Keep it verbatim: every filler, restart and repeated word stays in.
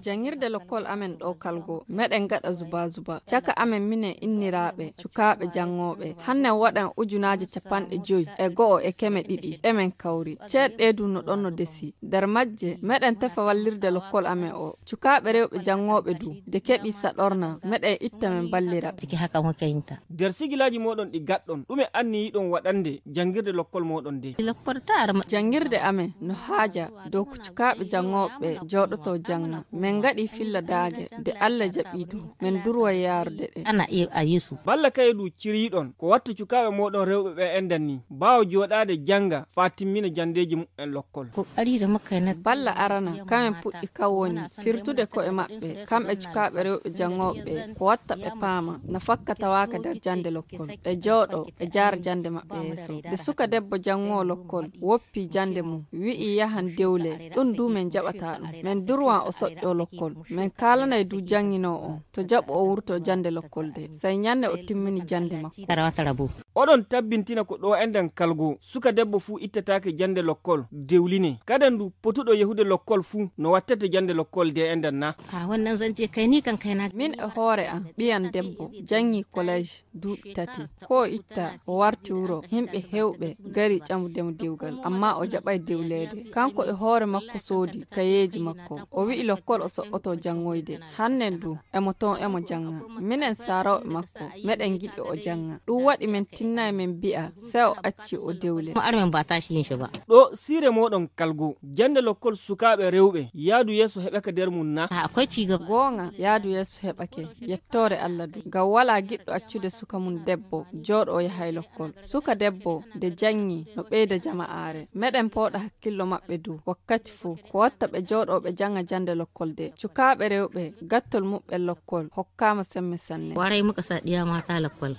Jangirde lokkol amen ɗo kalgo meɗen gaɗa zuba zuba caka amen minen inniraaɓe cukaaɓe janngooɓe. Hannen waɗan ujunaaje capanɗe joyi e go'o e keme ɗiɗi ɗe men kawri. Ceeɗɗe du no ɗon no desi. Nder majje meɗen tefa wallirde lokkol amen o. Cukaaɓe rewɓe janngooɓe du de keɓi saɗorna meɗen itta men ballira. Nder sigilaaji mooɗon ɗi gaɗɗon ɗume anniyiɗon waɗande janngirde lokkol mooɗon de? Janngirde amen no haaja dow ko cukaaɓe janngooɓe jooɗoto jannga. Men ngaɗi filla daage de Allah jaɓi du men durwa yaarude ɗe. Balla kaye du ciriyiɗon ko watta cukaaɓe mooɗon rewɓe ɓe endan ni baawo jooɗaade jannga faa timmina janndeeji muɓɓen lokkol. Balla arana kamen puɗɗi kan woni firtude ko'e maɓɓe kamɓe cukaaɓe rewɓe janngooɓe ɓe ko watta ɓe paama no fakkatawaaka nder jannde lokkol ɓe jooɗo ɓe jaara jannde maɓɓe yeeso. Nde suka debbo janngoo lokkol woppi jannde mum wi'i yahan dewle ɗum du men jaɓata ɗum men durwan o soƴƴo lokkol men kaalanay du jannginoo on to jaɓu o wurto jannde lokkol de sey ñannde o timmini jannde makko. Oɗon tabbintina ko ɗo enɗen kalgo suka debbo fuu ittataake jannde lokkol dewline kaden du potuɗo yahude lokkol fuu no wattete jannde lokkol de enɗen na? Min e hoore am ɓiyam debbo janngi kolej duuɓi tati ko o itta o warti wuro yimɓe heewɓe ngari ƴamudemo dewgal amma o jaɓay dewleede kanko e hoore makko soodi kayeeji makko o wi'i lokkol o soɓɓoto janngoyde. Hannen du emo ton emo jannga minen saarooɓe makko meɗen ngiɗi o jannga ɗum waɗi men tinnay men mbi'a sey o acci o dewle. Ɗo siire mooɗon kalgo jannde lokkol sukaaɓe rewɓe yaadu yeeso heɓaka nder mum na? Goonga yaadu yeeso heɓake yettoore Allah du ngam walaa giɗɗo accude suka mum debbo jooɗo o yahay lokkol. Suka debbo nde janngi no ɓeyda jama'aare meɗen pooɗa hakkillo maɓɓe du wakkati fuu ko watta ɓe jooɗo ɓe jannga jannde lokkol de cukaaɓe rewɓe gattol muɓɓen lokkol hokkaama semme sanne. Waray muka sa ɗiya mata lokkol.